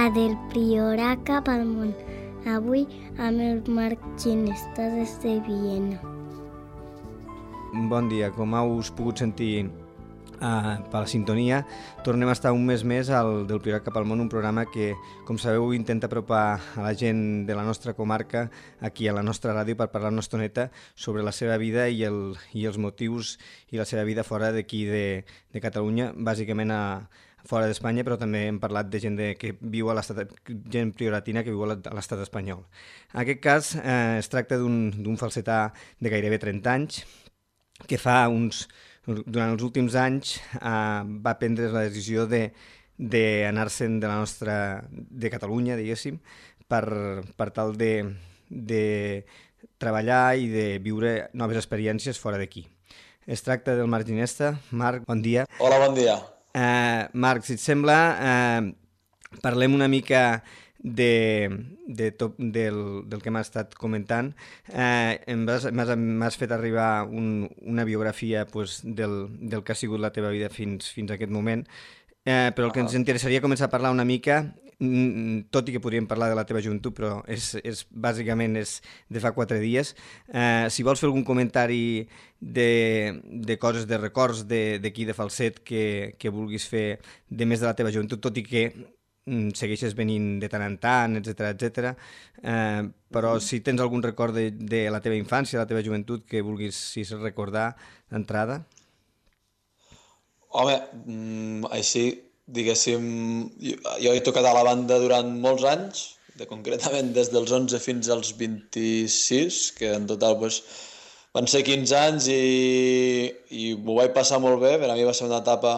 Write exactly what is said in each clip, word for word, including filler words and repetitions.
a Del Priorat cap al món. Avui amb el Marc Ginesta des de Viena. Bon dia, com heu pogut sentir Uh, per la sintonia, tornem a estar un mes més al Del Priorat cap al món, un programa que, com sabeu, intenta apropar a la gent de la nostra comarca aquí a la nostra ràdio per parlar una estoneta sobre la seva vida i, el, i els motius i la seva vida fora d'aquí de, de Catalunya, bàsicament a, fora d'Espanya, però també hem parlat de gent de, que viu a l'estat, gent prioratina que viu a l'estat espanyol. En aquest cas eh, es tracta d'un falsetà de gairebé trenta anys que fa uns durant els últims anys eh, va prendre la decisió d'anar-se'n de, de la nostra, de Catalunya, diguéssim, per, per tal de, de treballar i de viure noves experiències fora d'aquí. Es tracta del Marc Ginesta. Marc, bon dia. Hola, bon dia. Eh, Marc, si et sembla, eh, parlem una mica de, de tot, del, del que m'has estat comentant. Eh, m'has fet arribar un, una biografia pues, del, del que ha sigut la teva vida fins, fins a aquest moment, eh, però el que ens interessaria començar a parlar una mica, tot i que podríem parlar de la teva joventut, però és, és, bàsicament és de fa quatre dies. Eh, si vols fer algun comentari de, de coses, de records d'aquí de, de Falset que, que vulguis fer de més de la teva joventut, tot i que segueixes venint de tant en tant, etcètera, etcètera. Eh, però si tens algun record de, de la teva infància, de la teva joventut, que vulguis si recordar d'entrada. Home, així, diguéssim, jo, jo he tocat a la banda durant molts anys, de, concretament des dels onze fins als vint-i-sis, que en total pues, van ser quinze anys i, i m'ho vaig passar molt bé. Per a mi va ser una etapa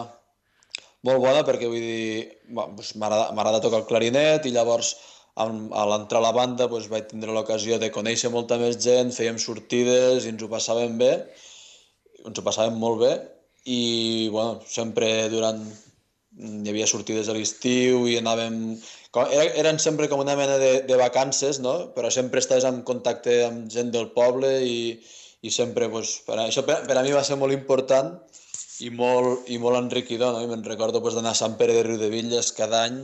molt bona perquè vull dir, doncs, m'agrada tocar el clarinet i llavors a l'entrar a la banda doncs, vaig tindre l'ocasió de conèixer molta més gent, fèiem sortides i ens ho passàvem bé, ens ho passàvem molt bé i bueno, sempre durant... hi havia sortides a l'estiu i anàvem... Eren sempre com una mena de, de vacances, no? Però sempre estaves en contacte amb gent del poble i, i sempre, doncs, per a, això per, per a mi va ser molt important i molt, i molt enriquidor, no? I me'n recordo pues, d'anar a Sant Pere de Riudebitlles cada any,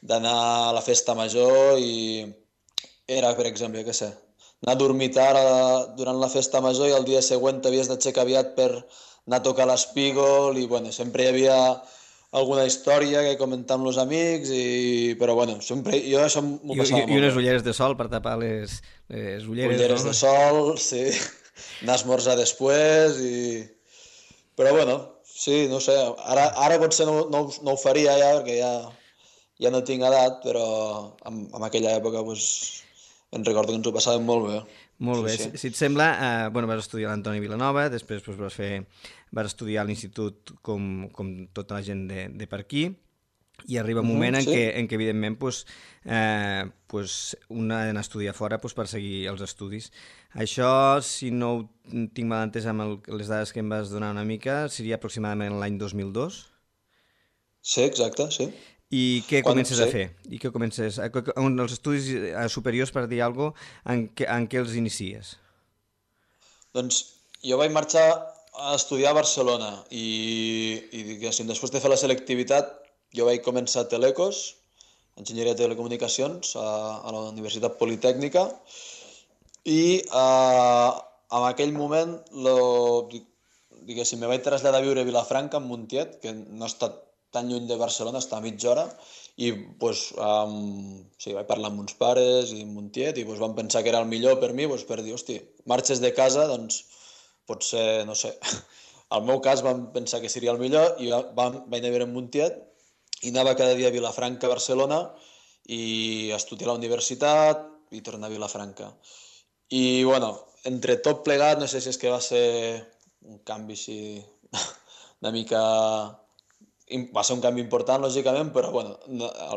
d'anar a la festa major i era, per exemple, jo què sé, anar a dormir tard a, durant la festa major i el dia següent t'havies d'aixecar aviat per anar a tocar l'espígol i bueno, sempre hi havia alguna història que comentar amb els amics, i... però bueno, sempre jo això m'ho passava I, molt. I unes ulleres de sol per tapar les, les ulleres, ulleres no? de sol, sí, anar a esmorzar després i... Però bueno, sí, no sé, ara, ara potser no, no, no ho faria ja perquè ja, ja no tinc edat, però en, en aquella època pues, em recordo que ens ho passàvem molt bé. Molt bé, sí, sí. Si, si et sembla, eh, bueno, vas estudiar a l'Antoni Vilanova, després pues, vas, fer, vas estudiar a l'institut com, com tota la gent de, de per aquí, i arriba un moment uh -huh, en, sí. que, en què, evidentment, pues, eh, pues, un ha d'anar a estudiar fora pues, per seguir els estudis. Això, si no ho tinc mal entès amb el, les dades que em vas donar una mica, seria aproximadament l'any dos mil dos? Sí, exacte, sí. I què Quan, comences sí. a fer? I què comences? On els estudis superiors, per dir alguna cosa, en, què, en què els inicies? Doncs jo vaig marxar a estudiar a Barcelona i, i diguéssim, després de fer la selectivitat jo vaig començar a Telecos, Enginyeria de Telecomunicacions, a, a la Universitat Politècnica, i eh, en aquell moment, lo, diguéssim, me vaig traslladar a viure a Vilafranca, en Montiet, que no està tan lluny de Barcelona, està a mitja hora, i pues, um, sí, vaig parlar amb uns pares i amb Montiet, i pues, vam pensar que era el millor per mi, pues, per dir, hosti, marxes de casa, doncs potser, no sé, al meu cas vam pensar que seria el millor, i vam, vaig anar a veure en Montiet, i anava cada dia a Vilafranca, a Barcelona, i a estudiar a la universitat, i tornar a Vilafranca. I, bueno, entre tot plegat, no sé si és que va ser un canvi així, una mica... Va ser un canvi important, lògicament, però, bueno,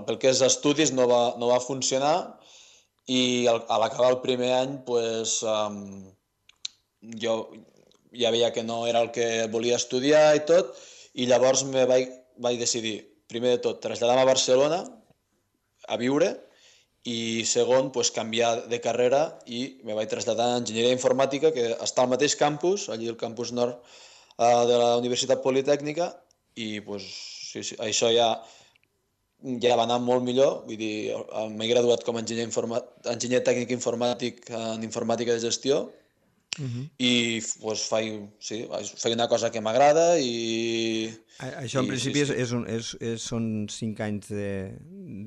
pel que és estudis no va, no va funcionar, i al, a l'acabar el primer any, pues, um, jo ja veia que no era el que volia estudiar i tot, i llavors me vaig, vaig decidir, primer de tot, traslladar-me a Barcelona a viure, i segon, pues, canviar de carrera i me vaig traslladar a Enginyeria Informàtica, que està al mateix campus, allí al campus nord eh, de la Universitat Politècnica, i pues, sí, sí, això ja ja va anar molt millor, vull dir, m'he graduat com a enginyer, informa... enginyer tècnic informàtic en informàtica de gestió uh -huh. i pues, faig, sí, faig una cosa que m'agrada i... Això en i, principi sí, sí. És, és un, és, és, són cinc anys de,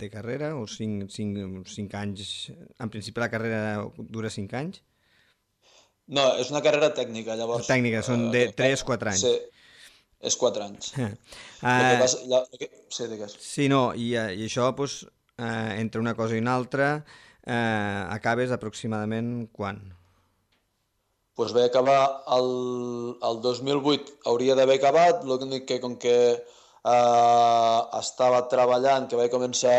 de carrera o cinc, cinc, cinc anys... En principi la carrera dura cinc anys? No, és una carrera tècnica, llavors... Tècnica, són de tres a quatre anys. Sí. És quatre anys. Uh, que vas, la, que... Sí, digues. Sí, no, i, i això, doncs, eh, entre una cosa i una altra, eh, acabes aproximadament quan? Doncs pues vaig acabar el, el dos mil vuit, hauria d'haver acabat, l'únic que com que eh, estava treballant, que vaig començar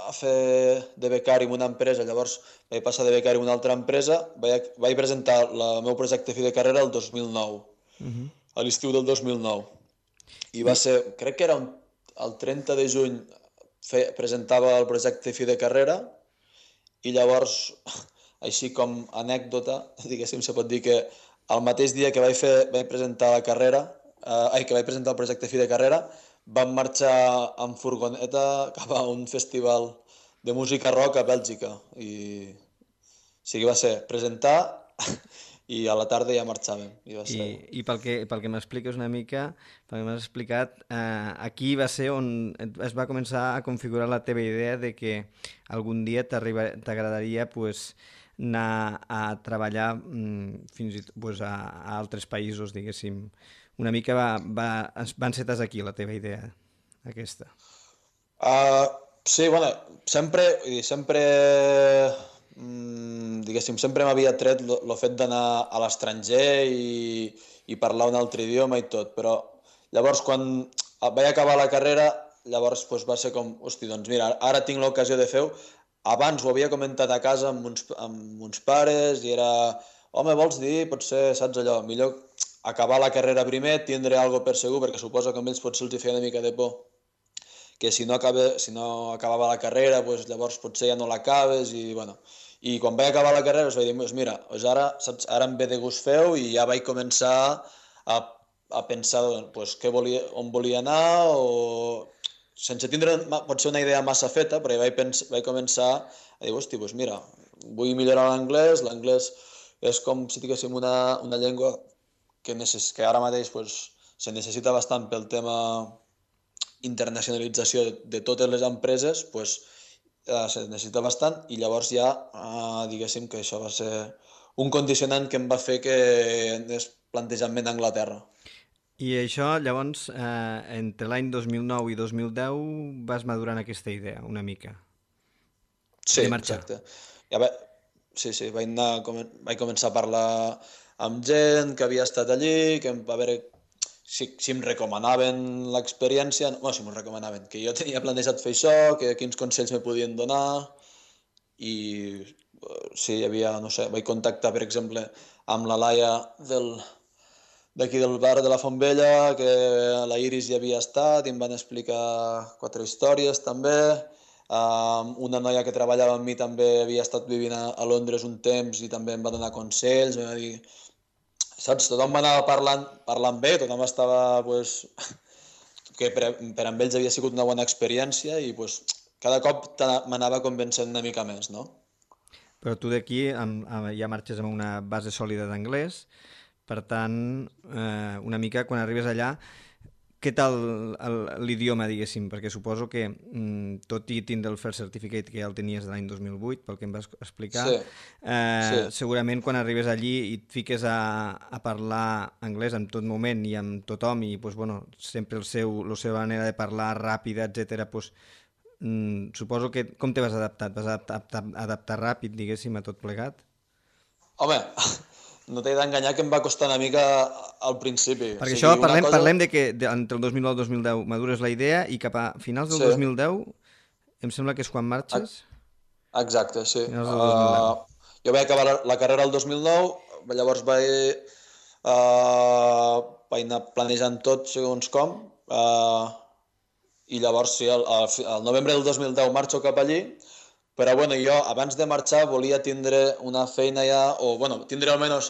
a fer de becari en una empresa, llavors vaig passar de becari en una altra empresa, vaig, vaig presentar el meu projecte fi de carrera el dos mil nou, uh-huh. a l'estiu del dos mil nou. I va ser, crec que era un, el trenta de juny, fe, presentava el projecte fi de carrera i llavors, així com anècdota, diguéssim, se pot dir que el mateix dia que vaig, fer, vaig presentar la carrera, eh, ai, que vaig presentar el projecte fi de carrera, vam marxar amb furgoneta cap a un festival de música rock a Bèlgica. I o sigui, va ser presentar... i a la tarda ja marxàvem. I, va ser... I, i pel que, pel que m'expliques una mica, pel que m'has explicat, eh, aquí va ser on es va començar a configurar la teva idea de que algun dia t'agradaria pues, anar a treballar mm, fins i tot pues, a, a altres països, diguéssim. Una mica va, va, va encetar aquí la teva idea, aquesta. Uh, sí, bueno, sempre... sempre... Mm, diguéssim, sempre m'havia tret el fet d'anar a l'estranger i, i parlar un altre idioma i tot, però llavors quan vaig acabar la carrera, llavors pues, va ser com, hosti, doncs mira, ara tinc l'ocasió de fer-ho. Abans ho havia comentat a casa amb uns, amb uns pares i era, home, vols dir, potser, saps allò, millor acabar la carrera primer, tindre alguna per segur, perquè suposo que a ells potser els feia una mica de por, que si no, acabe, si no acabava la carrera, pues, llavors potser ja no l'acabes i, bueno... I quan vaig acabar la carrera us vaig dir, pues mira, pues ara, saps, ara em ve de gust fer-ho i ja vaig començar a, a pensar pues, què volia, on volia anar o sense tindre potser una idea massa feta, però vaig, pens, vaig començar a dir, hosti, pues mira, vull millorar l'anglès, l'anglès és com si diguéssim una, una llengua que, necess, que ara mateix pues, se necessita bastant pel tema internacionalització de, de totes les empreses, pues, Uh, se necessita bastant i llavors ja, uh, diguéssim que això va ser un condicionant que em va fer que anés plantejant-me d'Anglaterra. I això, llavors, eh, entre l'any dos mil nou i dos mil deu vas madurant aquesta idea, una mica? Sí, exacte. Ja va... Sí, sí, vaig, anar, vaig començar a parlar amb gent que havia estat allí, que va veure si, si em recomanaven l'experiència, bueno, si m'ho recomanaven, que jo tenia plantejat fer això, que quins consells me podien donar, i sí, hi havia, no sé, vaig contactar, per exemple, amb la Laia del, d'aquí del bar de la Font Vella, que la Iris hi havia estat, i em van explicar quatre històries també, um, una noia que treballava amb mi també havia estat vivint a, a Londres un temps i també em va donar consells, em va dir... Saps? Tothom m'anava parlant, parlant bé, tothom estava, pues, que per, per amb ells havia sigut una bona experiència i pues, cada cop m'anava convencent una mica més, no? Però tu d'aquí ja marxes amb una base sòlida d'anglès, per tant, eh, una mica quan arribes allà, què tal l'idioma, diguéssim? Perquè suposo que, mm, tot i tindre el First Certificate, que ja el tenies de l'any dos mil vuit, pel que em vas explicar, sí. Eh, sí. segurament quan arribes allí i et fiques a, a parlar anglès en tot moment i amb tothom, i pues, bueno, sempre el seu, la seva manera de parlar ràpida, etcètera, pues, mm, suposo que com te vas adaptar? Et vas adaptar, adaptar ràpid, diguéssim, a tot plegat? Home... No t'he d'enganyar que em va costar una mica al principi. Perquè o sigui, això parlem, cosa... parlem de que de, entre el dos mil nou i el dos mil deu madures la idea i cap a finals del sí. dos mil deu em sembla que és quan marxes? Exacte, sí. Uh, jo vaig acabar la, la carrera el dos mil nou, llavors vaig, uh, vaig anar planejant tot segons com, uh, i llavors sí, al, al novembre del dos mil deu marxo cap allí. Però bueno, jo abans de marxar volia tindre una feina ja, o bueno, tindre almenys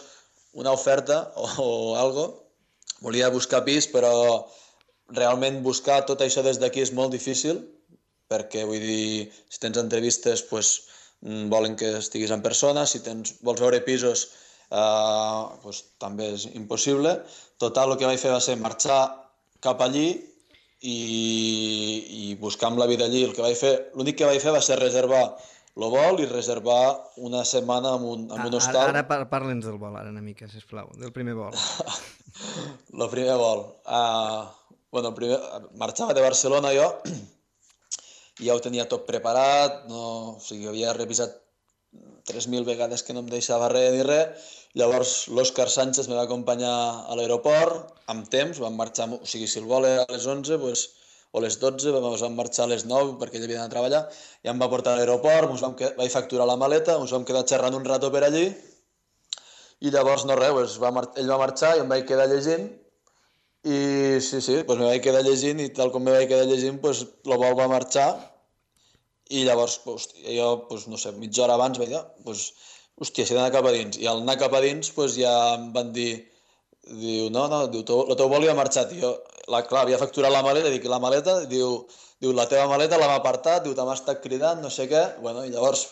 una oferta o, o algo. Volia buscar pis, però realment buscar tot això des d'aquí és molt difícil, perquè vull dir, si tens entrevistes pues, volen que estiguis en persona, si tens, vols veure pisos eh, pues, també és impossible. Total, el que vaig fer va ser marxar cap allí i, i buscar amb la vida allí. El que vaig fer, l'únic que vaig fer va ser reservar el vol i reservar una setmana en un, en un hostal. Ara, ara parla'ns del vol, ara una mica, sisplau, del primer vol. El primer vol. Uh, bueno, el primer, marxava de Barcelona jo i ja ho tenia tot preparat, no, o sigui, havia revisat tres mil vegades que no em deixava res ni res. Llavors l'Òscar Sánchez me va acompanyar a l'aeroport amb temps, vam marxar, o sigui, si el vol era a les onze, pues, o a les dotze, ens vam marxar a les nou perquè ell havia d'anar a treballar, i em va portar a l'aeroport, ens vam quedar, vaig facturar la maleta, ens vam quedar xerrant un rato per allí, i llavors no res, pues, va ell va marxar i em vaig quedar llegint, i sí, sí, pues me vaig quedar llegint, i tal com me vaig quedar llegint, pues, el vol va marxar, i llavors, hòstia, jo, pues, no sé, mitja hora abans vaig dir, pues, hòstia, si he d'anar cap a dins, i al anar cap a dins, pues, ja em van dir, diu, no, no, diu, el teu vol ja ha marxat, i jo, la, clar, havia facturat la maleta, dic, la maleta, diu, diu, la teva maleta la m'ha apartat, diu, t'ha estat cridant, no sé què, bueno, i llavors,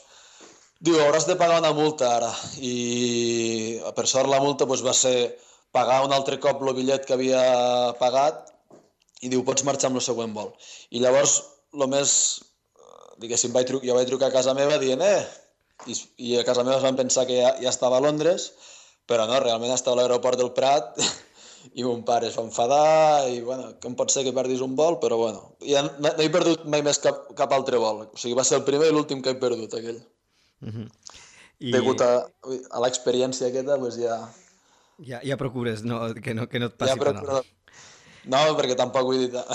diu, hauràs de pagar una multa ara, i per sort la multa pues, va ser pagar un altre cop el bitllet que havia pagat, i diu, pots marxar amb el següent vol. I llavors, el més, diguéssim, vaig truc, jo vaig trucar a casa meva dient, eh, i, i a casa meva es van pensar que ja, ja estava a Londres, però no, realment estava a l'aeroport del Prat, i mon pare es va enfadar, i bueno, com pot ser que perdis un vol, però bueno, ja no, no he perdut mai més cap, cap altre vol, o sigui, va ser el primer i l'últim que he perdut, aquell. Uh-huh. I... Degut a, a l'experiència aquesta, doncs ja... Ja, ja procures no, que, no, que no et passi ja procuro... No, perquè tampoc vull dir...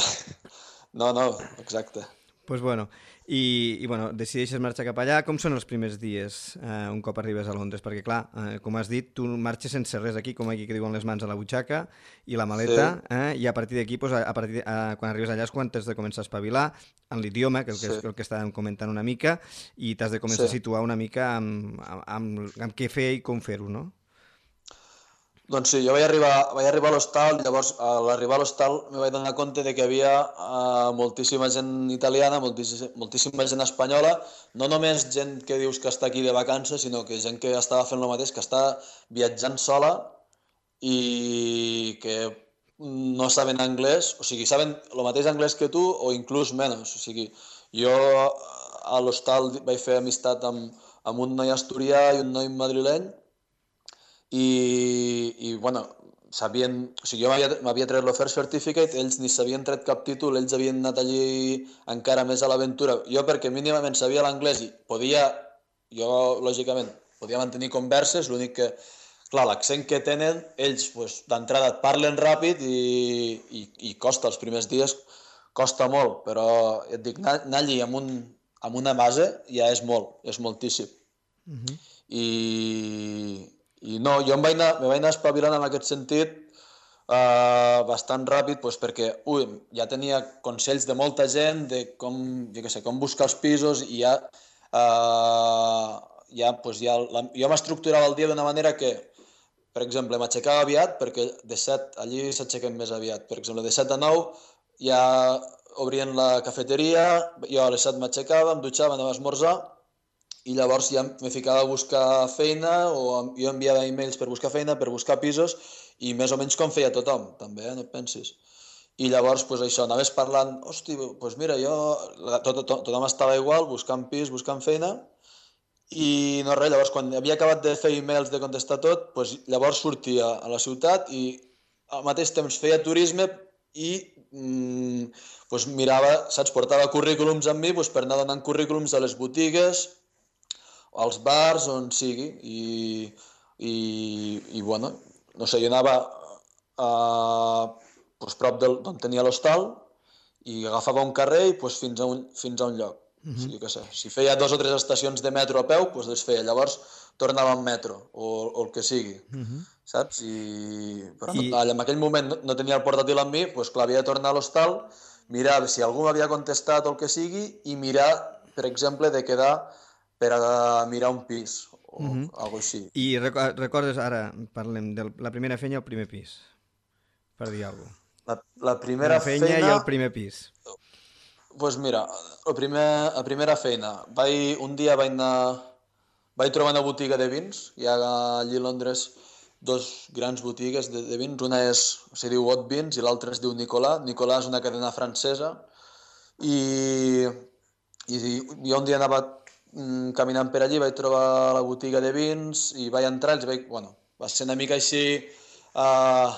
No, no, exacte. Doncs pues bueno, i, i bueno, decideixes marxar cap allà. Com són els primers dies eh, un cop arribes a Londres? Perquè clar, eh, com has dit, tu marxes sense res aquí, com aquí que diuen les mans a la butxaca i la maleta, sí. eh, i a partir d'aquí, pues, a partir de, a, quan arribes allà és quan t'has de començar a espavilar en l'idioma, que, sí. que és el que estàvem comentant una mica, i t'has de començar sí. a situar una mica amb, amb, amb, amb què fer i com fer-ho, no? Doncs sí, jo vaig arribar, vaig arribar a l'hostal, llavors a l'arribar a l'hostal me vaig donar compte de que hi havia uh, moltíssima gent italiana, moltíssima, moltíssima gent espanyola, no només gent que dius que està aquí de vacances, sinó que gent que estava fent el mateix, que està viatjant sola i que no saben anglès, o sigui, saben el mateix anglès que tu o inclús menys. O sigui, jo a l'hostal vaig fer amistat amb, amb un noi asturià i un noi madrileny, i, i bueno, sabien, o sigui, jo m'havia tret l'Offer Certificate, ells ni s'havien tret cap títol, ells havien anat allí encara més a l'aventura. Jo perquè mínimament sabia l'anglès i podia, jo lògicament, podia mantenir converses, l'únic que, clar, l'accent que tenen, ells pues, d'entrada et parlen ràpid i, i, i costa, els primers dies costa molt, però et dic, anar, anar allí amb, un, amb una base ja és molt, és moltíssim. Uh-huh. I... I no, jo em vaig anar, me vaig anar espavilant en aquest sentit uh, bastant ràpid, pues, perquè ui, ja tenia consells de molta gent de com, jo què sé, com buscar els pisos i ja, uh, ja, pues, ja la, jo m'estructurava el dia d'una manera que, per exemple, m'aixecava aviat, perquè de set, allí s'aixequen més aviat, per exemple, de set a nou ja obrien la cafeteria, jo a les set m'aixecava, em dutxava, anava a esmorzar, i llavors ja me ficava a buscar feina o jo enviava e-mails per buscar feina, per buscar pisos i més o menys com feia tothom, també, eh? No et pensis. I llavors, pues, això, anaves parlant, hosti, pues mira, jo... Tot, tot, tothom estava igual, buscant pis, buscant feina i no res, llavors quan havia acabat de fer e-mails, de contestar tot, pues, llavors sortia a la ciutat i al mateix temps feia turisme i mm, pues, mirava, saps, portava currículums amb mi pues, per anar donant currículums a les botigues, als bars, on sigui, i, i, i bueno, no sé, jo anava a, pues, prop d'on tenia l'hostal i agafava un carrer i pues, fins, a un, fins a un lloc. Uh-huh. O sigui, que sé, si feia dos o tres estacions de metro a peu, pues, les feia. Llavors tornava en metro o, o el que sigui, uh-huh. saps? I, però I... No, en aquell moment no, no tenia el portàtil amb mi, pues, clar, havia de tornar a l'hostal, mirar si algú m'havia contestat o el que sigui i mirar, per exemple, de quedar per a mirar un pis o uh-huh. alguna així. I recordes, ara parlem de la primera feina o el primer pis, per dir alguna cosa. La, la primera la feina feina... i el primer pis. pues mira, la, primer, la primera feina, vaig, un dia vaig anar, vaig trobar una botiga de vins, hi ha allí a Londres dos grans botigues de, de vins, una és, se diu Hot Vins i l'altra es diu Nicolà. Nicolà és una cadena francesa i, i jo un dia anava mm, caminant per allí, vaig trobar la botiga de vins i vaig entrar, els vaig, bueno, va ser una mica així uh,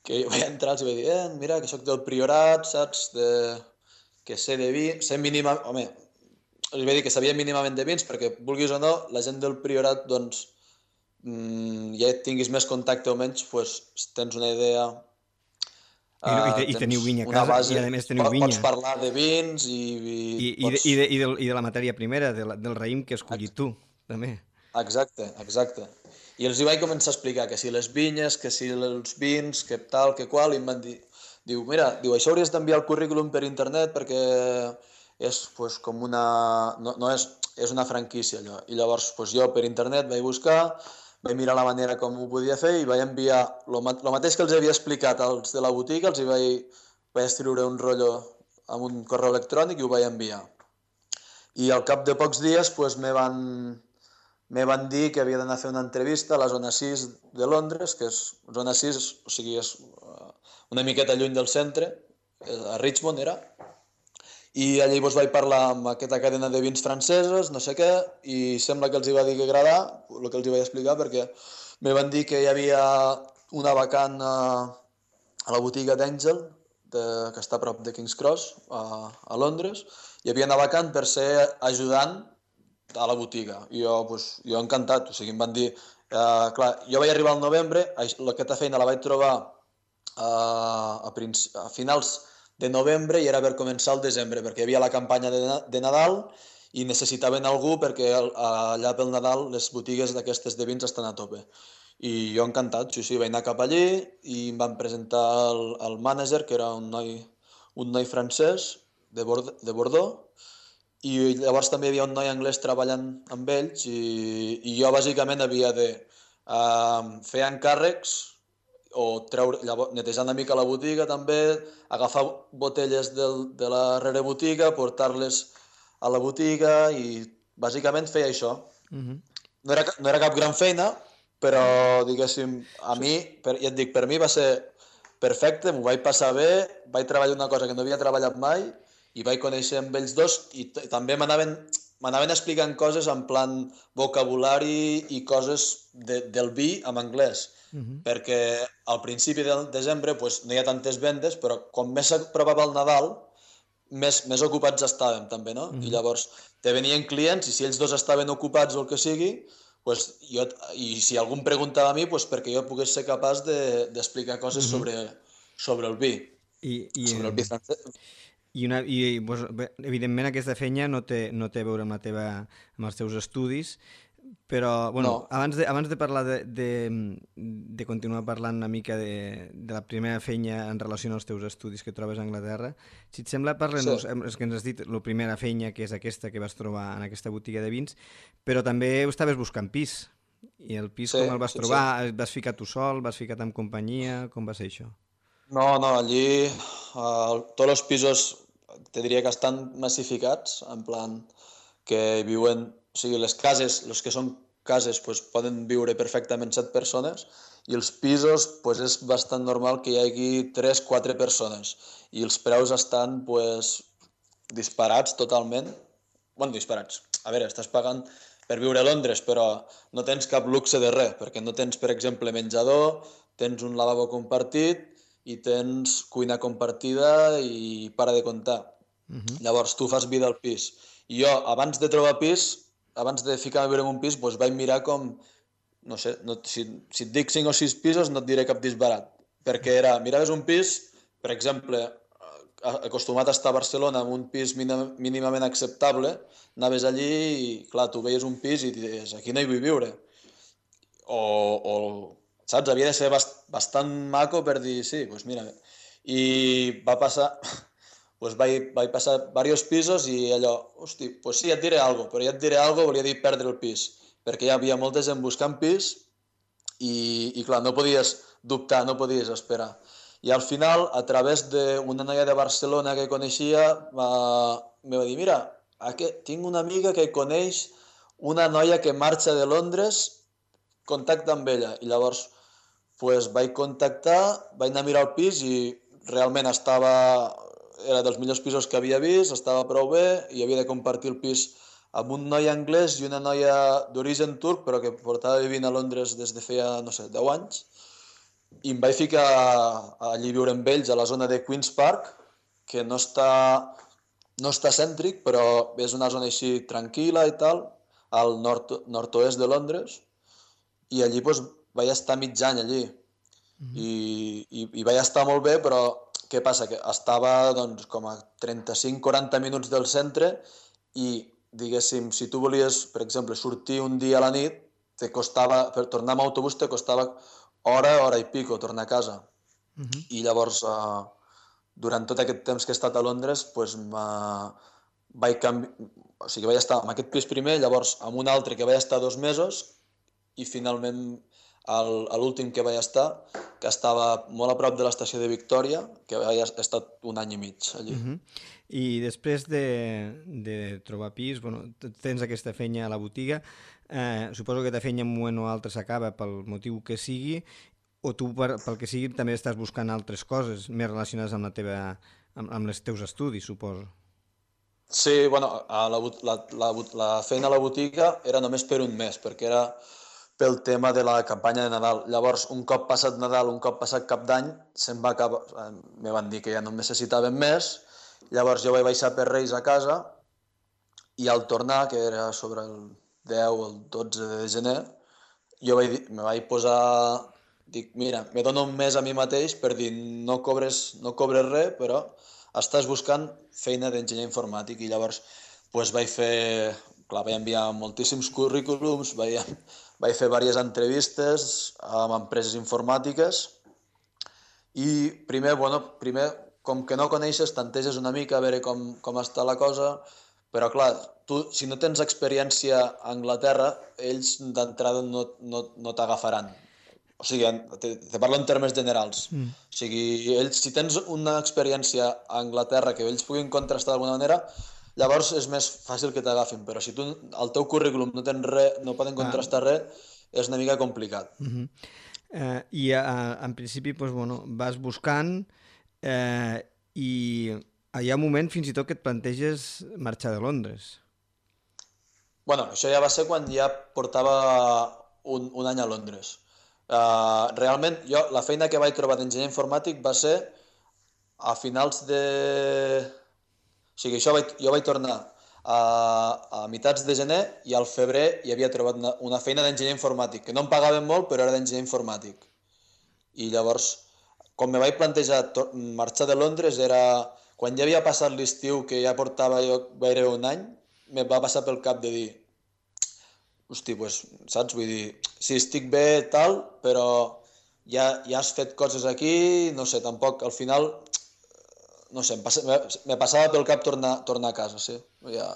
que vaig entrar i vaig dir, eh, mira, que sóc del Priorat, saps, de, que sé de vi, sé mínima, home, els vaig dir que sabia mínimament de vins perquè, vulguis o no, la gent del Priorat, doncs, mm, ja tinguis més contacte o menys, pues, tens una idea. I, no, i, te, i teniu vinya a casa, base, i a més teniu vinya. Pots parlar de vins i... I, i, pots... i, de, i, de, i de la matèria primera, de la, del raïm que has collit tu, també. Exacte, exacte. I els hi vaig començar a explicar que si les vinyes, que si els vins, que tal, que qual, i em van dir, diu, mira, diu, això hauries d'enviar el currículum per internet perquè és pues, com una... No, no és, és una franquícia, allò. I llavors pues, jo per internet vaig buscar, vaig mirar la manera com ho podia fer i vaig enviar el mateix que els havia explicat als de la botiga, els hi vaig, vaig escriure un rotllo amb un correu electrònic i ho vaig enviar. I al cap de pocs dies pues, me van... me van dir que havia d'anar a fer una entrevista a la zona sis de Londres, que és zona sis, o sigui, és una miqueta lluny del centre, a Richmond era, i allí doncs, vaig parlar amb aquesta cadena de vins franceses, no sé què, i sembla que els hi va dir que agradar, el que els hi vaig explicar, perquè me van dir que hi havia una vacant a, a la botiga d'Angel, de, que està a prop de King's Cross, a, a Londres, hi havia una vacant per ser ajudant a la botiga. I jo, pues, jo encantat, o sigui, em van dir... Eh, clar, jo vaig arribar al novembre, aquesta feina la vaig trobar eh, a, a finals de novembre i era per començar al desembre, perquè hi havia la campanya de, de Nadal i necessitaven algú perquè allà pel Nadal les botigues d'aquestes de vins estan a tope. I jo encantat, sí, sí, vaig anar cap allí i em van presentar el, el mànager, que era un noi, un noi francès de, Bord de Bordeaux, i llavors també hi havia un noi anglès treballant amb ells i, i jo bàsicament havia de uh, fer encàrrecs o treure, llavors, netejar una mica la botiga també, agafar botelles del, de la rerebotiga, portar-les a la botiga i bàsicament feia això. Uh-huh. no, era, no era cap gran feina, però diguéssim, a mi, per, ja et dic, per mi va ser perfecte, m'ho vaig passar bé, vaig treballar una cosa que no havia treballat mai i vaig conèixer amb ells dos i també m'anaven m'anaven explicant coses en plan vocabulari i coses de, del vi en anglès. Uh-huh. Perquè al principi del desembre pues, no hi ha tantes vendes, però com més s'apropava el Nadal, més, més ocupats estàvem també, no? Uh-huh. I llavors te venien clients i si ells dos estaven ocupats o el que sigui, pues, jo, i si algú em preguntava a mi, pues, perquè jo pogués ser capaç d'explicar de, coses uh-huh. sobre, sobre el vi. I, i, sobre el vi francès. I, una, i pues, evidentment aquesta feina no té, no té a veure amb, la teva, amb els teus estudis, però bueno, no. abans, de, abans de parlar de, de, de continuar parlant una mica de, de la primera feina en relació als teus estudis que trobes a Anglaterra, si et sembla, parlem-nos, sí. És que ens has dit la primera feina, que és aquesta que vas trobar en aquesta botiga de vins, però també estaves buscant pis, i el pis sí, com el vas sí, trobar? Sí. Et vas ficar tu sol, vas ficar amb companyia, com va ser això? No, no, allí uh, tots els pisos te diria que estan massificats, en plan que viuen, o sigui, les cases, els que són cases, pues, poden viure perfectament set persones i els pisos pues, és bastant normal que hi hagi tres quatre persones i els preus estan pues, disparats totalment. Bueno, disparats. A veure, estàs pagant per viure a Londres, però no tens cap luxe de res, perquè no tens, per exemple, menjador, tens un lavabo compartit i tens cuina compartida i para de comptar. Uh-huh. Llavors tu fas vida al pis. I jo, abans de trobar pis, abans de ficar-me a viure en un pis, doncs vaig mirar com, no sé, no, si, si et dic cinc o sis pisos no et diré cap disbarat, perquè era, miraves un pis, per exemple, acostumat a estar a Barcelona amb un pis mínimament acceptable, anaves allí i, clar, tu veies un pis i dius, aquí no hi vull viure. O, o saps, havia de ser bast bastant maco per dir, sí, doncs mira. I va passar, doncs vaig, vaig passar diversos pisos i allò, hosti, doncs sí, ja et diré alguna cosa, però ja et diré alguna cosa volia dir perdre el pis, perquè hi havia molta gent buscant pis i, i clar, no podies dubtar, no podies esperar. I al final, a través d'una noia de Barcelona que coneixia, va, me va dir, mira, aquí, tinc una amiga que coneix una noia que marxa de Londres, contacta amb ella. I llavors pues, vaig contactar, vaig anar a mirar el pis i realment estava, era dels millors pisos que havia vist, estava prou bé i havia de compartir el pis amb un noi anglès i una noia d'origen turc, però que portava vivint a Londres des de feia, no sé, deu anys. I em vaig ficar allí a viure amb ells a la zona de Queen's Park, que no està, no està cèntric, però és una zona així tranquil·la i tal, al nord, nord-oest de Londres, i allí doncs, vaig estar mig any allí. Mm-hmm. I, i, i vaig estar molt bé, però què passa? Que estava doncs, com a trenta-cinc a quaranta minuts del centre i, diguéssim, si tu volies, per exemple, sortir un dia a la nit, te costava, per tornar amb autobús te costava hora, hora i pico, tornar a casa. Uh-huh. I llavors, uh, durant tot aquest temps que he estat a Londres, pues, vaig canviar, o sigui, vaig estar en aquest pis primer, llavors amb un altre que vaig estar dos mesos i finalment el, a l'últim que vaig estar, que estava molt a prop de l'estació de Victòria, que vaig estar un any i mig allí. Uh-huh. I després de, de trobar pis, bueno, tens aquesta feina a la botiga, eh, suposo que aquesta feina en un moment o altre s'acaba pel motiu que sigui, o tu per, pel que sigui també estàs buscant altres coses més relacionades amb la teva, amb, amb els teus estudis, suposo. Sí, bueno, a la, la, la, la feina a la botiga era només per un mes, perquè era pel tema de la campanya de Nadal. Llavors, un cop passat Nadal, un cop passat Cap d'Any, se'm va acabar, me van dir que ja no em necessitaven més. Llavors jo vaig baixar per Reis a casa i al tornar, que era sobre el deu o el dotze de gener, jo vaig dir, me vaig posar, dic, mira, me dono un mes a mi mateix per dir, no cobres, no cobres res, però estàs buscant feina d'enginyer informàtic. I llavors pues, vaig fer, clar, vaig enviar moltíssims currículums, vaig, vaig fer diverses entrevistes amb empreses informàtiques i primer, bueno, primer com que no coneixes, tanteges una mica a veure com, com està la cosa, però clar, tu, si no tens experiència a Anglaterra, ells d'entrada no, no, no t'agafaran. O sigui, te, te parlo en termes generals. Mm. O sigui, ells, si tens una experiència a Anglaterra que ells puguin contrastar d'alguna manera, llavors és més fàcil que t'agafin, però si tu al teu currículum no tens res, no poden contrastar ah. res, és una mica complicat. Mm-hmm. eh, I uh, en principi, doncs, bueno, vas buscant Eh, i hi ha un moment fins i tot que et planteges marxar de Londres. Bueno, això ja va ser quan ja portava un, un any a Londres. Uh, realment, jo la feina que vaig trobar d'enginyer informàtic va ser a finals de... O sigui, això vaig, jo vaig tornar a, a mitats de gener i al febrer hi havia trobat una, una feina d'enginyer informàtic, que no em pagaven molt, però era d'enginyer informàtic. I llavors... Com me vaig plantejar marxar de Londres era quan ja havia passat l'estiu, que ja portava jo gairebé un any, me va passar pel cap de dir, hosti, pues, saps? Vull dir, sí, estic bé, tal, però ja, ja has fet coses aquí, no sé, tampoc, al final, no sé, em, passa, me, me passava pel cap tornar, tornar a casa, sí. Ja,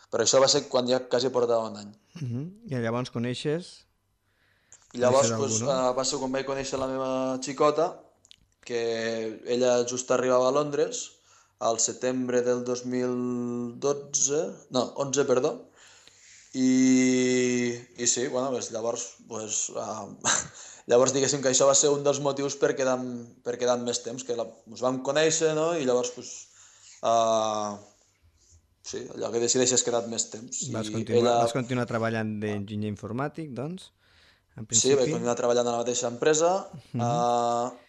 però això va ser quan ja quasi portava un any. Uh-huh. I llavors coneixes? I llavors pues, uh, va ser quan vaig conèixer la meva xicota, que ella just arribava a Londres al setembre del dos mil dotze, no, onze, perdó, i, i sí, bueno, pues, llavors, pues, uh, llavors diguéssim que això va ser un dels motius per quedar, per quedar més temps, que la, ens vam conèixer, no?, i llavors, pues, uh, sí, allò que decideixes quedar més temps. Vas I continuar, ella... vas continuar treballant d'enginyer informàtic, doncs? En principi... Sí, vaig continuar treballant a la mateixa empresa. Uh-huh. uh,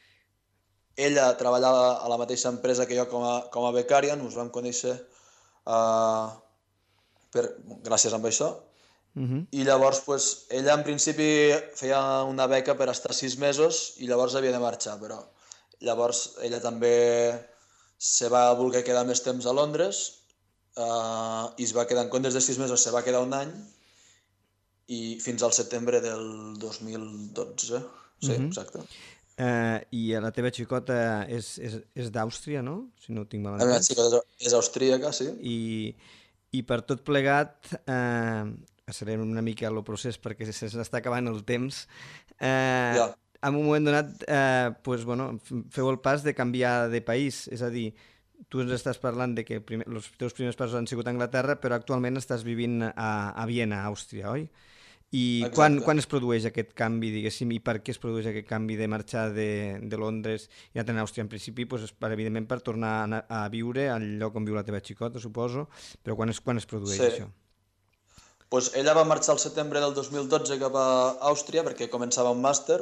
Ella treballava a la mateixa empresa que jo com a, com a becària, ens vam conèixer uh, per, gràcies a això. Uh-huh. I llavors, pues, ella en principi feia una beca per estar sis mesos i llavors havia de marxar, però llavors ella també se va voler quedar més temps a Londres uh, i es va quedar, en comptes de sis mesos, se va quedar un any i fins al setembre del dos mil dotze. Sí, uh-huh. Exacte. Uh, I la teva xicota és, és, és d'Àustria, no? Si no ho tinc mal entès. La meva xicota és austríaca, sí. I, i per tot plegat, uh, accelerem una mica el procés perquè se n'està acabant el temps, uh, ja. en un moment donat eh, pues, bueno, feu el pas de canviar de país, és a dir, tu ens estàs parlant de que primer, els teus primers passos han sigut a Anglaterra, però actualment estàs vivint a, a Viena, Àustria, oi? I quan, quan es produeix aquest canvi, diguéssim, i per què es produeix aquest canvi de marxar de, de Londres i anar a Àustria? En principi, doncs, per, evidentment, per tornar a, a viure al lloc on viu la teva xicota, suposo, però quan es, quan es produeix Sí. això? Pues ella va marxar al setembre del dos mil dotze cap a Àustria perquè començava un màster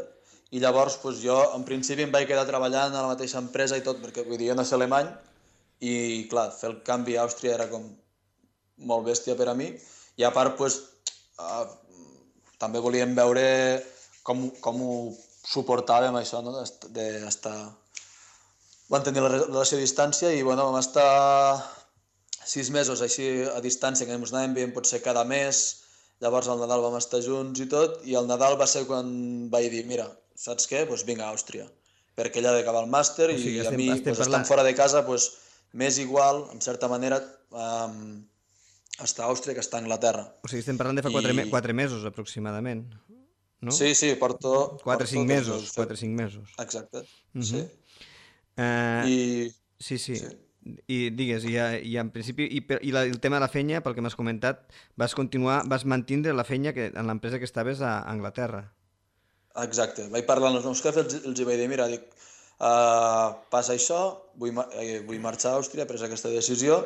i llavors pues, jo en principi em vaig quedar treballant a la mateixa empresa i tot, perquè vull dir, jo no sé alemany i clar, fer el canvi a Àustria era com molt bèstia per a mi i a part pues, uh, també volíem veure com, com ho suportàvem això, no? d'estar... Vam tenir la relació a distància i bueno, vam estar sis mesos així a distància, que ens anàvem veient potser cada mes, llavors al Nadal vam estar junts i tot, i el Nadal va ser quan vaig dir, mira, saps què? Doncs vinga a Àustria, perquè ella ha d'acabar el màster O sigui, i estem- a mi, estem pues, parlant- estant fora de casa, pues, m'és igual, en certa manera, um, estar a Àustria que estar a Anglaterra. O sigui, estem parlant de fa quatre, I- me quatre mesos, aproximadament, no? Sí, sí, porto... Quatre, porto cinc dos mesos, fem- quatre, cinc mesos. Exacte, Mhm. sí. Eh, I... Sí, sí. Sí. I digues, i, a- i en principi, i, per, i la, el tema de la feina, pel que m'has comentat, vas continuar, vas mantindre la feina que, en l'empresa que estaves a Anglaterra. Exacte, vaig parlar amb els meus jefes, els, els hi vaig dir, mira, dic, uh, passa això, vull, ma- eh, vull marxar a Àustria, he pres aquesta decisió,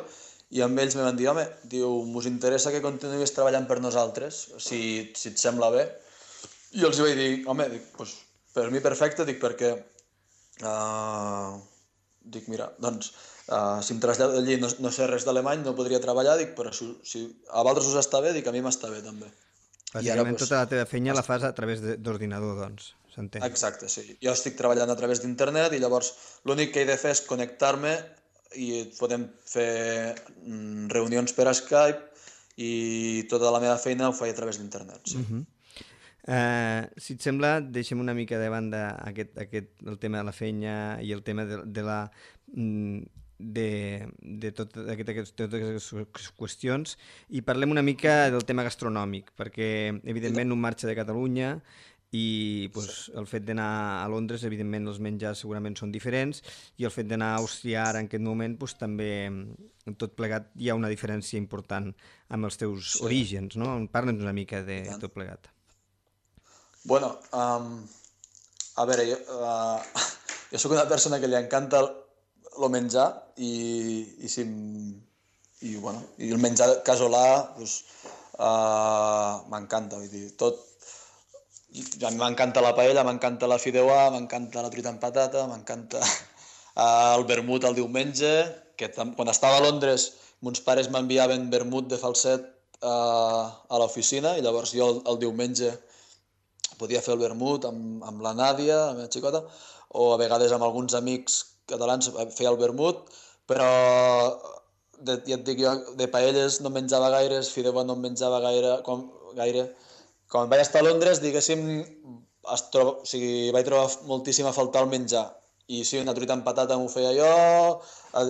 i amb ells me van dir, home, diu, us interessa que continuïs treballant per nosaltres, si, si et sembla bé? I els hi vaig dir, home, dic, pues, per mi perfecte, dic, perquè, uh, dic, mira, doncs, uh, si em trasllado allí no, no sé res d'alemany, no podria treballar, dic, però si, si a vosaltres us està bé, dic, a mi m'està bé també. I ara, Bàsicament, pues, tota la teva feina la fas a través de- d'ordinador, doncs, s'entén. Exacte, sí. Jo estic treballant a través d'internet i llavors l'únic que he de fer és connectar-me i podem fer mm, reunions per Skype i tota la meva feina ho faig a través d'internet. Sí. Mhm. Eh, si et sembla, deixem una mica de banda aquest, aquest, el tema de la feina i el tema de, de la... mm, de, de tot, aquest, aquest, totes aquestes qüestions i parlem una mica del tema gastronòmic, perquè evidentment un marxa de Catalunya i pues, el fet d'anar a Londres, evidentment els menjars segurament són diferents i el fet d'anar a Àustria ara en aquest moment pues, també en tot plegat hi ha una diferència important amb els teus Sí. orígens, no? Parla'ns una mica de I tant. tot plegat. Bueno, um, a veure, jo, uh, jo sóc una persona que li encanta el, el menjar i, i, si, em- i, bueno, i el menjar casolà pues, uh, m'encanta, vull dir, tot. I a mi m'encanta la paella, m'encanta la fideuà, m'encanta la truita amb patata, m'encanta uh, el vermut el diumenge, que tam- quan estava a Londres mons pares m'enviaven vermut de falset uh, a l'oficina i llavors jo el, el diumenge podia fer el vermut amb, amb la Nàdia, la meva xicota, o a vegades amb alguns amics catalans feia el vermut, però de, ja et dic jo, de paelles no en menjava gaires, fideuà no en menjava gaire, com, gaire. Quan vaig estar a Londres, diguéssim, es troba, o sigui, vaig trobar moltíssim a faltar el menjar. I sí, una truita amb patata m'ho feia jo,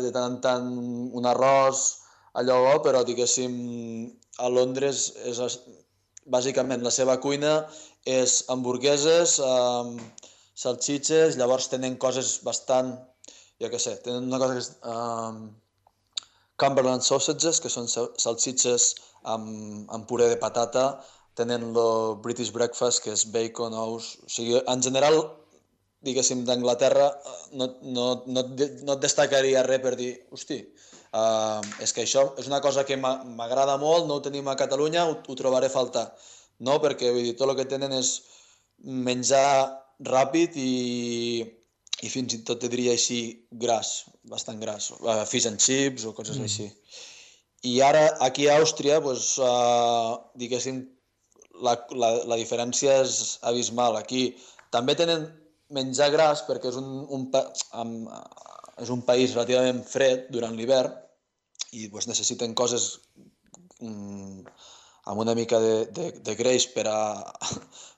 de tant en tant un arròs, allò bo, però diguéssim, a Londres és, bàsicament la seva cuina és hamburgueses, eh, salxitxes, llavors tenen coses bastant, jo què sé, tenen una cosa que és um, Cumberland sausages, que són sal- salsitxes amb, amb puré de patata, tenen el British breakfast, que és bacon, ous, o sigui, en general, diguéssim, d'Anglaterra, eh, no, no, no, et de- no et destacaria res per dir, hosti, uh, és que això és una cosa que m'a- m'agrada molt, no ho tenim a Catalunya, ho, ho trobaré a faltar. No, perquè vull dir, tot el que tenen és menjar ràpid i, i fins i tot te diria així gras, bastant gras, uh, fish and chips o coses Mm. així. I ara aquí a Àustria, doncs, uh, diguéssim, la, la, la diferència és abismal. Aquí també tenen menjar gras perquè és un, un, pa, amb, és un país relativament fred durant l'hivern i doncs, necessiten coses mm, amb una mica de, de, de greix per a,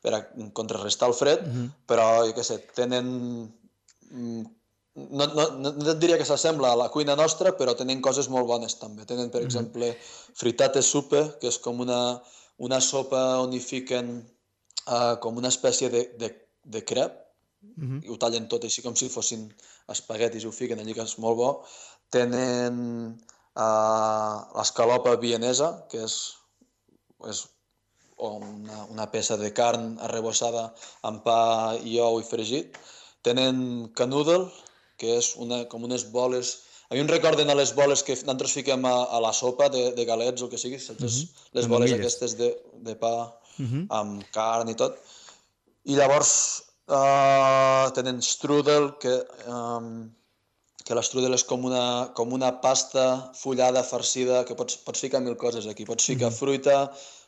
per a contrarrestar el fred, Mhm. però, jo què sé, tenen... mm, No, no, no no et diria que s'assembla a la cuina nostra, però tenen coses molt bones també. Tenen, per Mhm. exemple, fritate suppe, que és com una, una sopa on hi fiquen uh, com una espècie de, de, de crep, Mhm. i ho tallen tot així com si fossin espaguetis i ho fiquen allí, que és molt bo. Tenen uh, l'escalopa vienesa, que és, és una, una peça de carn arrebossada amb pa i ou i fregit. Tenen canoodle, que és una, com unes boles... A mi em recorden a les boles que nosaltres fiquem a, a la sopa de, de galets o el que sigui, saps? Mhm. Les Amb boles amigues. aquestes de, de pa Mhm. amb carn i tot. I llavors uh, tenen strudel, que, um, que l'estrudel és com una, com una pasta fullada, farcida, que pots, pots ficar mil coses aquí. Pots ficar Mhm. fruita,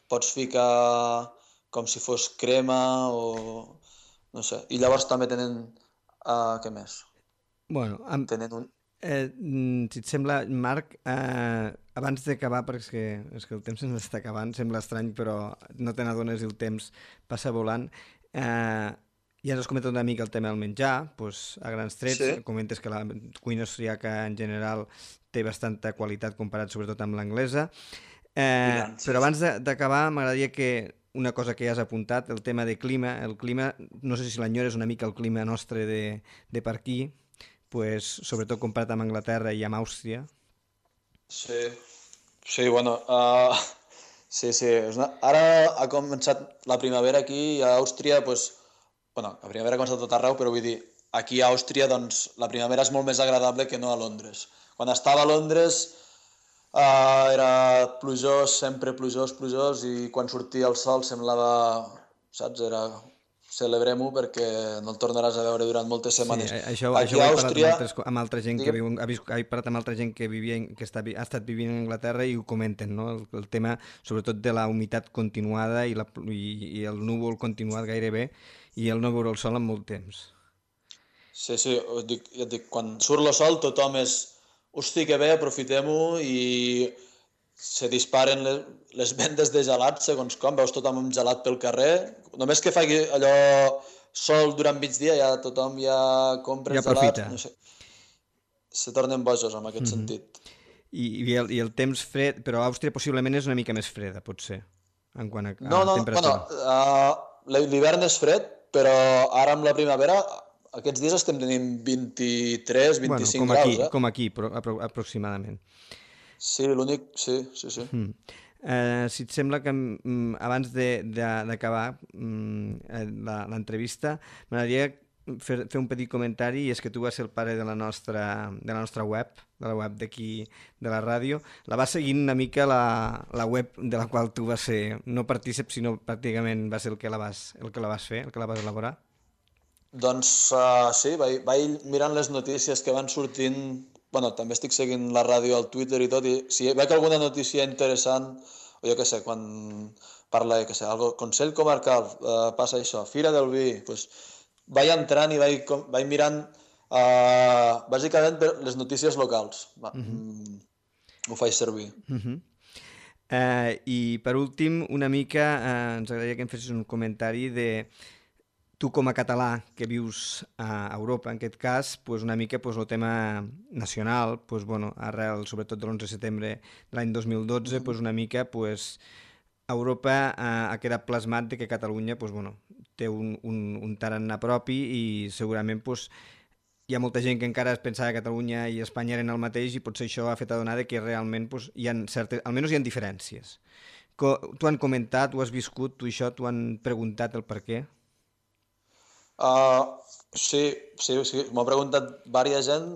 pots ficar com si fos crema o... no sé. I llavors també tenen... Uh, què més? Bueno, amb, Tenen un... eh, mm, si et sembla, Marc, eh, abans d'acabar, perquè és que, és que el temps ens està acabant, sembla estrany, però no te n'adones i el temps passa volant. Eh, ja ens has comentat una mica el tema del menjar, doncs, a grans trets, Sí, comentes que la cuina austríaca en general té bastanta qualitat comparat sobretot amb l'anglesa. i Eh, tant, sí, però sí. abans de- d'acabar, m'agradaria que una cosa que ja has apuntat, el tema de clima. El clima, no sé si l'enyores una mica el clima nostre de, de per aquí, pues, sobretot comparat amb Anglaterra i amb Àustria. Sí, sí, bueno, uh, sí, sí. És una... Ara ha començat la primavera aquí a Àustria, pues, bueno, la primavera ha començat a tot arreu, però vull dir, aquí a Àustria, doncs, la primavera és molt més agradable que no a Londres. Quan estava a Londres uh, era plujós, sempre plujós, plujós, i quan sortia el sol semblava, saps, era celebrem-ho perquè no el tornaràs a veure durant moltes Sí, setmanes. a- això, això Aquí ho a he parlat amb, Àustria, altres, co- amb altra gent que digue'm, viu, ha, vist, he parlat amb altra gent que, vivia, en- que està, vi- ha estat vivint a Anglaterra i ho comenten, no? El, el tema sobretot de la humitat continuada i, la, pl- i, i el núvol continuat gairebé i el no veure el sol en molt temps. sí, sí, us dic, ja et dic, quan surt el sol tothom és, hosti, que bé, aprofitem-ho i se disparen les, les vendes de gelats segons com, veus tothom amb gelat pel carrer, només que faci allò sol durant migdia ja tothom ja compra Ja gelats, aprofita. no sé, se tornen bojos en aquest Mhm. sentit. I, i, el, I el temps fred, però Àustria possiblement és una mica més freda, potser, en quant a, No, a no, bueno, temperatura. uh, l'hivern és fred, però ara amb la primavera, aquests dies estem tenint vint-i-tres, Bueno, vint-i-cinc com graus, aquí, eh? com aquí, pro, apro, aproximadament. Sí, l'únic, sí, sí, sí. Mm. Eh, si et sembla que mm, abans de- de- d'acabar mm, eh, la- l'entrevista, m'agradaria fer, fer un petit comentari, i és que tu vas ser el pare de la nostra, de la nostra web, de la web d'aquí, de la ràdio. La vas seguint una mica la, la web de la qual tu vas ser, no partícip, sinó pràcticament va ser el que la vas, el que la vas fer, el que la vas elaborar. Doncs uh, sí, vaig, vaig mirant les notícies que van sortint, bueno, també estic seguint la ràdio al Twitter i tot, i si veig alguna notícia interessant, o jo què sé, quan parla, jo què sé, algo, Consell Comarcal, uh, passa això, Fira del Vi, doncs vaig entrant i vaig, com- vaig mirant uh, bàsicament per les notícies locals. Va, Mhm. mm, ho faig servir. Mhm. Eh, I per últim, una mica, eh, ens agradaria que em fessis un comentari de tu com a català que vius a Europa, en aquest cas, pues una mica pues, el tema nacional, pues, bueno, arrel sobretot de l'onze de setembre de l'any dos mil dotze, Mhm. pues, una mica pues, Europa eh, ha quedat plasmat de que Catalunya pues, bueno, té un, un, un tarannà propi i segurament pues, hi ha molta gent que encara es pensava que Catalunya i Espanya eren el mateix i potser això ha fet adonar de que realment pues, hi ha certes, almenys hi ha diferències. Co T'ho han comentat, tu has viscut, tu això, t'ho han preguntat el per què? Uh, sí, sí, sí, m'ho ha preguntat vària gent,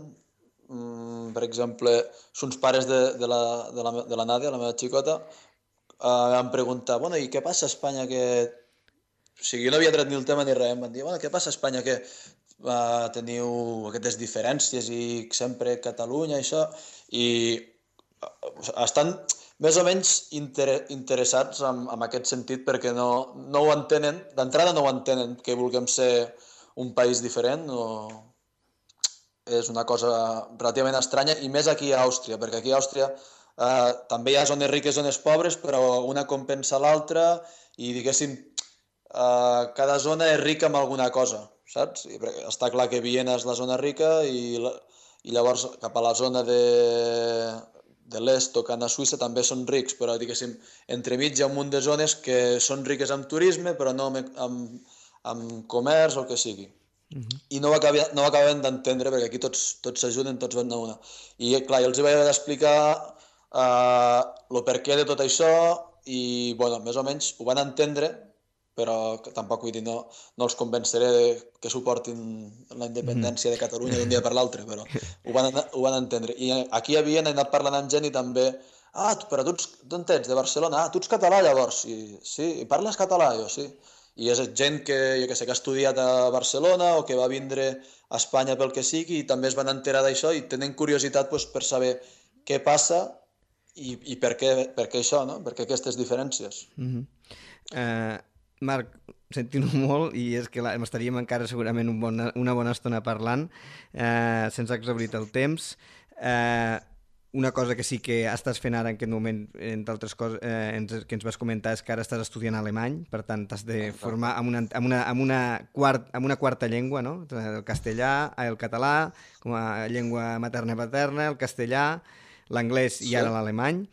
mm, per exemple, sons pares de, de, la, de, la, de la Nàdia, la meva xicota, uh, em pregunta, bueno, i què passa a Espanya que... O sigui, jo no havia tret ni el tema ni res, em van dir, bueno, què passa a Espanya que uh, teniu aquestes diferències i sempre Catalunya i això, i uh, estan més o menys inter interessats en, en aquest sentit perquè no, no ho entenen, d'entrada no ho entenen que vulguem ser un país diferent, o és una cosa relativament estranya, i més aquí a Àustria, perquè aquí a Àustria eh, també hi ha zones riques i zones pobres, però una compensa l'altra i, diguéssim, eh, cada zona és rica en alguna cosa, saps? I està clar que Viena és la zona rica i, la, i llavors cap a la zona de, de l'est, tocant a Suïssa, també són rics, però, diguéssim, entremig hi ha un munt de zones que són riques amb turisme, però no amb, amb, amb comerç o el que sigui. uh-huh. i no ho, acabi, no ho acabaven d'entendre, perquè aquí tots tots s'ajuden, tots van a una. I clar, jo els vaig haver d'explicar uh, el per què de tot això i, bueno, més o menys ho van entendre, però tampoc vull dir, no, no els convenceré que suportin la independència de Catalunya d'un dia per l'altre, però ho van, ho van entendre. I aquí hi havia, he anat parlant amb gent i també, ah, però tu d'on ets? De Barcelona? Ah, tu ets català llavors? I, sí, i parles català? Jo, sí. I és gent que, jo que sé, que ha estudiat a Barcelona o que va vindre a Espanya pel que sigui i també es van enterar d'això i tenen curiositat doncs, per saber què passa i, i per, què, per què això, no? Per què aquestes diferències. Mm-hmm. uh... Marc, sentint-ho molt, i és que m'estaríem encara segurament un bon, una bona estona parlant, eh, sense exhaurir el temps. Eh, una cosa que sí que estàs fent ara en aquest moment, entre altres coses eh, ens, que ens vas comentar, és que ara estàs estudiant alemany, per tant t'has de formar amb una, amb una, amb una, quart, amb una quarta llengua, no? El castellà, el català, com a llengua materna i paterna, el castellà, l'anglès i ara l'alemany.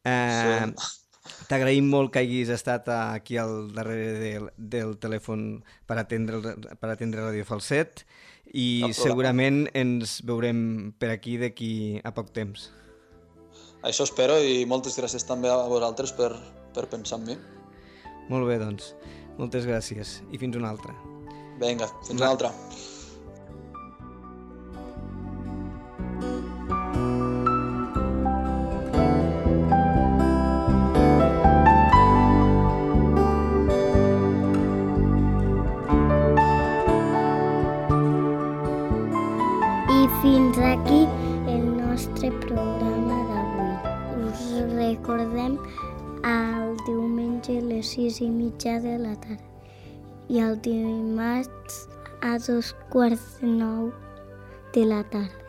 Eh, sí. T'agraïm molt que hagis estat aquí al darrere del, del telèfon per atendre, per atendre Radio Falset i segurament ens veurem per aquí d'aquí a poc temps. Això espero i moltes gràcies també a vosaltres per, per pensar en mi. Molt bé, doncs. Moltes gràcies i fins una altra. Vinga, fins una altra. Fins aquí el nostre programa d'avui. Us recordem el diumenge a les sis i mitja de la tarda i el dimarts a dos quarts de nou de la tarda.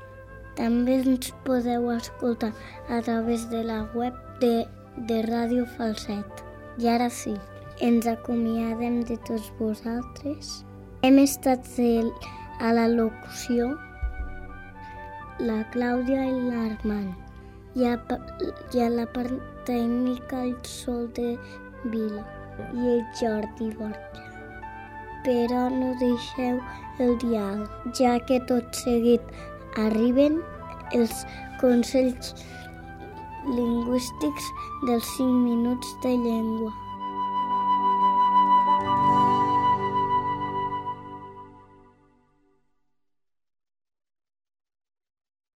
També ens podeu escoltar a través de la web de, de Ràdio Falset. I ara sí, ens acomiadem de tots vosaltres. Hem estat a la locució la Clàudia i l'Armand, i a, i a la part tècnica el Sol de Vila i el Jordi Borja. Però no deixeu el diàleg, ja que tot seguit arriben els consells lingüístics dels cinc minuts de llengua.